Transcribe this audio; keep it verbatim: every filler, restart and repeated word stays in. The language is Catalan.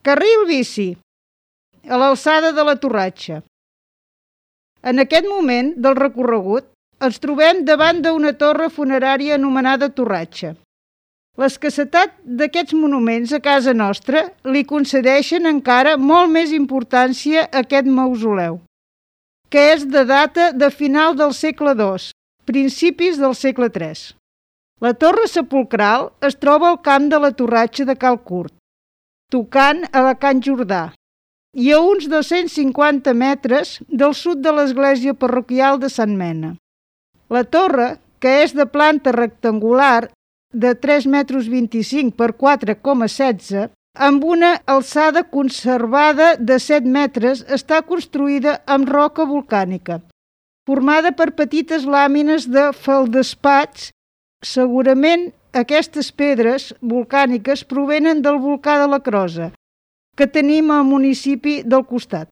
Carril bici, a l'alçada de la Torratxa. En aquest moment del recorregut ens trobem davant d'una torre funerària anomenada Torratxa. L'escassetat d'aquests monuments a casa nostra li concedeixen encara molt més importància a aquest mausoleu, que és de data de final del segle dos, principis del segle tres. La torre sepulcral es troba al camp de la Torratxa de Cal Curt, tocant a la Can Jordà, i a uns dos-cents cinquanta metres del sud de l'església parroquial de Sant Mena. La torre, que és de planta rectangular de tres metres vint-i-cinc per quatre coma setze, amb una alçada conservada de set metres, està construïda amb roca volcànica, formada per petites làmines de feldespats. Segurament aquestes pedres volcàniques provenen del volcà de la Crosa, que tenim al municipi del costat.